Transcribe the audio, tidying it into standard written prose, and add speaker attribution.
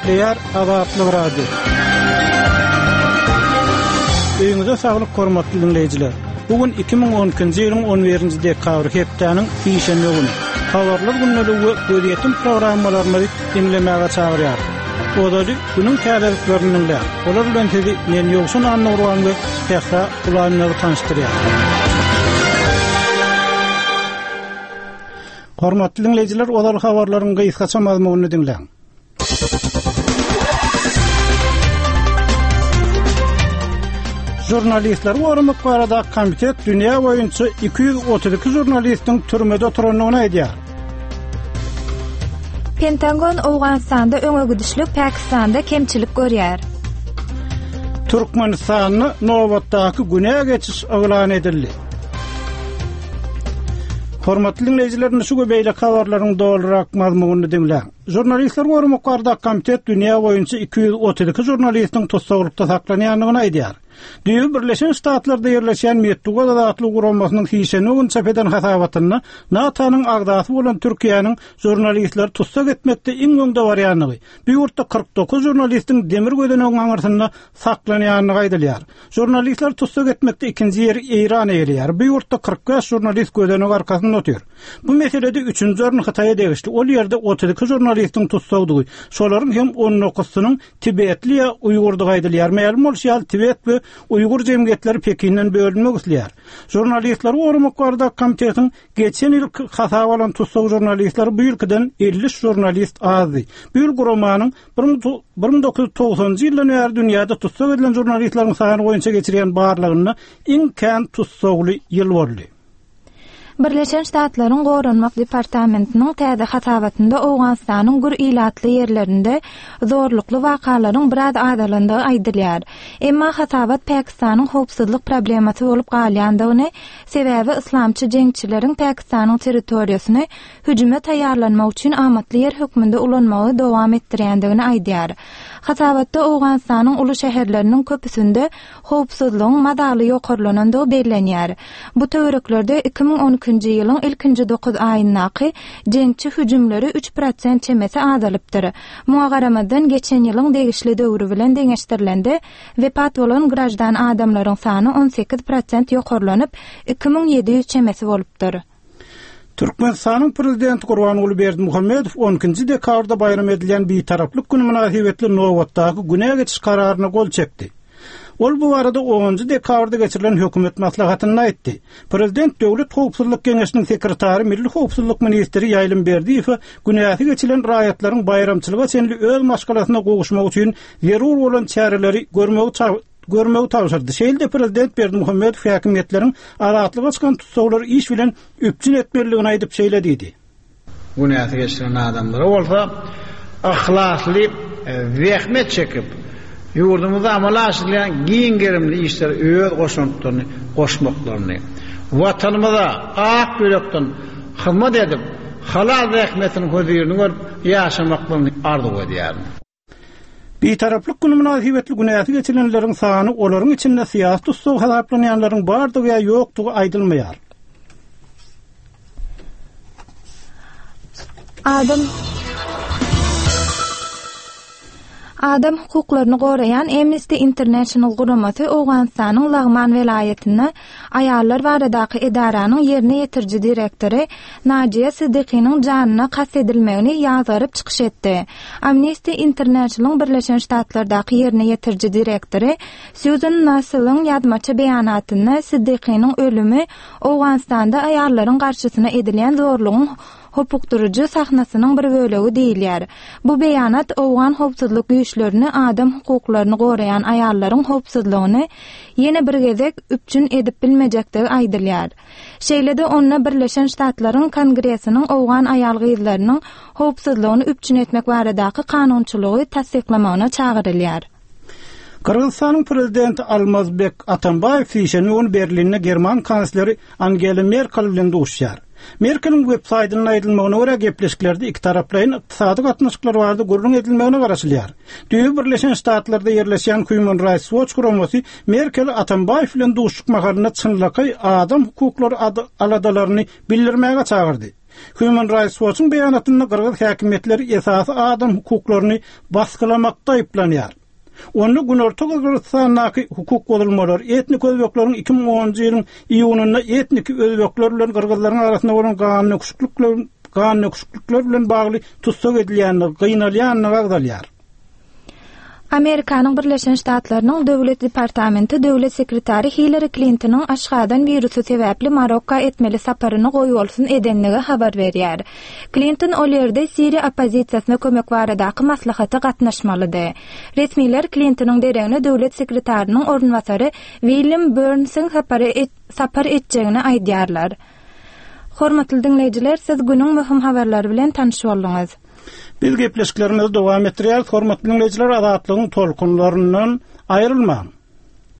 Speaker 1: Gepleýär Azatlyk Radiosy. Öýüňize saglyk hormatly diňleýjiler. Bu gün 2012-nji ýylyň 11-nji dekabry hepdäniň sişenbe güni. Habarlar gündeligi we gözýetim programmalarymyzy diňlemäge çagyrýarys. Ozaly günüň täzeliklerini diňläň. Olar bilen sizi men Ýowşan Annagurban we Sähra Gulanyýewa tanyşdyrýar. Hormatly diňleýjiler, ozal habarlaryň gysgaça mazmunyny diňläň. Žurnalistleri goramak barada komitet dünýä boýunça 232 žurnalistiň türmede oturandygyny aýdýar.
Speaker 2: Pentagon Owganystanda öňe gidişlik, Pakistanda kemçilik görýär.
Speaker 1: Türkmenistanda nobatdaky günä geçiş yglan edildi. Hormatly diňleýjiler, indi şu we beýleki habarlaryň dolurak mazmunyny diňläň. Žurnalistleri goramak baradaky komitet dünýä boýunça 232 žurnalistiň tussaglykda saklanýandygyny aýdýar. Düýbi Birleşen Ştatlarda ýerleşýän Metbugat azatlygy guramasynyň sişenbe güni çap eden hasabatynda NATO-nyň agzasy bolan Türkiýäniň žurnalistleri tussag etmekde iň öňde barýandygy, bu ýurtda 49 žurnalistiň demir gözenegiň aňyrsynda saklanýandygy aýdylýar. Žurnalistleri tussag etmekde ikinji ýeri Eýran eýeleýär. Bu ýurtda 45 žurnalist gözenek arkasynda otyr. Bu meselede üçünji orun Hytaýa degişli. Ol ýerde 32 žurnalistiň tussagdygy, şolaryň hem on dokuzysynyň tibetli ýa uýgurdygy aýdylýar. Mälim bolşy ýaly, tibet we uýgur jemgyýetleri Pekinden bölünmek isleýär. Žurnalistleri goramak baradaky komitetiň geçen ýylky hasaba alan tussag žurnalistleri bu ýylkydan 53 žurnalist azdy. Bu ýyl guramanyň 1990-njy ýyldan bäri dünýäde tussag edilen žurnalistleriň sany boýunça geçirýän barlagynda iň kän tussagly ýyl boldy.
Speaker 2: Birleşen Ştatlaryň Goranmak departamentiniň täze hasabatynda Owganystanyň gür ilatly ýerlerinde zorlukly wakalaryň biraz azalandygy aýdylýar. Emma hasabat Pakistanyň howpsuzlyk problemasy bolup galýandygyny, sebäbi yslamçy jeňçileriň Pakistanyň territoriýasyny hüjüme taýýarlanmak üçin amatly ýer hökmünde ulanmagy dowam etdirýändigini aýdýar. Hasabatda Owganystanyň uly şäherleriniň köpüsinde howpsuzlygyň mazaly ýokarlanandygy bellenýär. Bu töwereklerde 2012-nji ýylyň ilkinji dokuz aýyndaky jeňçi hüjümleri üç prosent çemesi azalypdyr. Muňa garamazdan, geçen ýylyň degişli döwri bilen deňeşdirilende, wepat bolan graždan adamlaryň sany 18 prosent ýokarlanyp, 2700 çemesi bolupdyr.
Speaker 1: Türkmenistanyň Prezidenti Gurbanguly Berdimuhamedow on ikinji dekabrda baýram edilýän Bitaraplyk güni mynasybetli nobatdaky günä geçiş kararyna gol çekdi. Ol bu barada onunjy dekabrda geçirilen hökümet maslahatynda aýtdy. Prezident Döwlet howpsuzlyk geňeşiniň sekretary Milli howpsuzlyk ministri Ýaýlym Berdiýewe günäsi geçilen raýatlaryň baýramçylyga çenli öz maşgalasyna gowuşmagy üçin zerur bolan çäreleri görmegi görmegi tabşyrdy. Şeýle-de prezident Berdimuhamedow häkimiýetleriň azatlyga çykan tussaglary iş bilen üpjün etmelidigini aýdyp, şeýle diýdi.
Speaker 3: Günäsi geçilen adamlara bolsa yhlasly zähmet çekip, ýurdumyzda amala aşyrylýan giň gerimli işlere öz goşantlaryny goşmaklaryny, Watanymyza ak ýürekden hyzmat edip, halal zähmetiniň hözirini görüp ýaşamaklaryny arzuw edýärin.
Speaker 1: Bitaraplyk güni mynasybetli günäsi geçilenleriň sany, olaryň içinde syýasy tussag hasaplanýanlaryň bardygy ýa ýokdugy aýdylmaýar.
Speaker 2: Adam Adam hukuklaryny goraýan Amnesty International guramasy Owganystanyň Lagman welaýatynda Aýallar baradaky edaranyň ýerine ýetiriji direktory Najiýa Siddikynyň janyna kast edilmegini ýazgaryp çykyş etdi. Amnesty International-yň Birleşen Ştatlardaky ýerine ýetiriji direktory Sýuzan Nasseliň ýazmaça beýanatynda Siddikynyň ölümi Owganystanda aýallaryň garşysyna edilýän zorlugyň hopukdyryjy sahnasynyň bir bölegi diýilýär. Bu beýanat owgan howpsuzlyk güýçlerini adam hukuklaryny goraýan aýallaryň howpsuzlygyny ýene bir gezek üpjün edip bilmejekdigi aýdylýar. Şeýle-de onda Birleşen Ştatlaryň Kongresiniň owgan aýal-gyzlarynyň howpsuzlygyny üpjün etmek baradaky kanunçylygy tassyklamagyna çagyrylýar.
Speaker 1: Gyrgyzystanyň prezidenti Almazbek Atambaýew sişenbe güni Berlinde german kansleri Angela Merkel bilen duşuşar. Merkeliň web saýtynda aýdylmagyna görä, gepleşiklerde ikitaraplaýyn ykdysady gatnaşyklar barada gürrüň edilmegine garaşylýar. Düýbi Birleşen Ştatlarda ýerleşýän Human Rights Watch guramasy Merkeli Atambaýew bilen duşuşyk mahalynda çynlakaý adam hukuklary aladalaryny bildirmäge çagyrdy. Human Rights Watch-yň beýanatynda gyrgyz häkimiýetleri esasy adam hukuklaryny basgylamakda aýyplanýar. Onda Günorta Gyrgyzystandaky hukuk bozulmalar, etnik özbekleriň 2010-njy ýylyň iýunynda etniki özbekler bilen gyrgyzlaryň arasynda bolan gandöküşiklikler bilen bagly tussag edilýändigi, gynalýandygy agzalýar.
Speaker 2: Amerikanyň Birleşen Ştatlarynyň Döwlet departamenti döwlet sekretary Hillari Klintonyň aşgazan wirusy sebäpli Marokka etmeli saparyny goýbolsun edenligi habar berýär. Klinton ol ýerde siriýa oppozisiýasyna kömek baradaky maslahata gatnaşmalydy. Resmiler Klintonyň deregine döwlet sekretarynyň orunbasary William Börnsiň sapar etjegini aýdýarlar. Hormatly diňleýjiler, siz günüň möhüm habarlary bilen tanyş bolduňyz.
Speaker 1: Biz gepleşiklerimizi dowam etdirýäris. Hormatly diňleýjiler, Azatlygyň tolkunlaryndan aýrylmaň!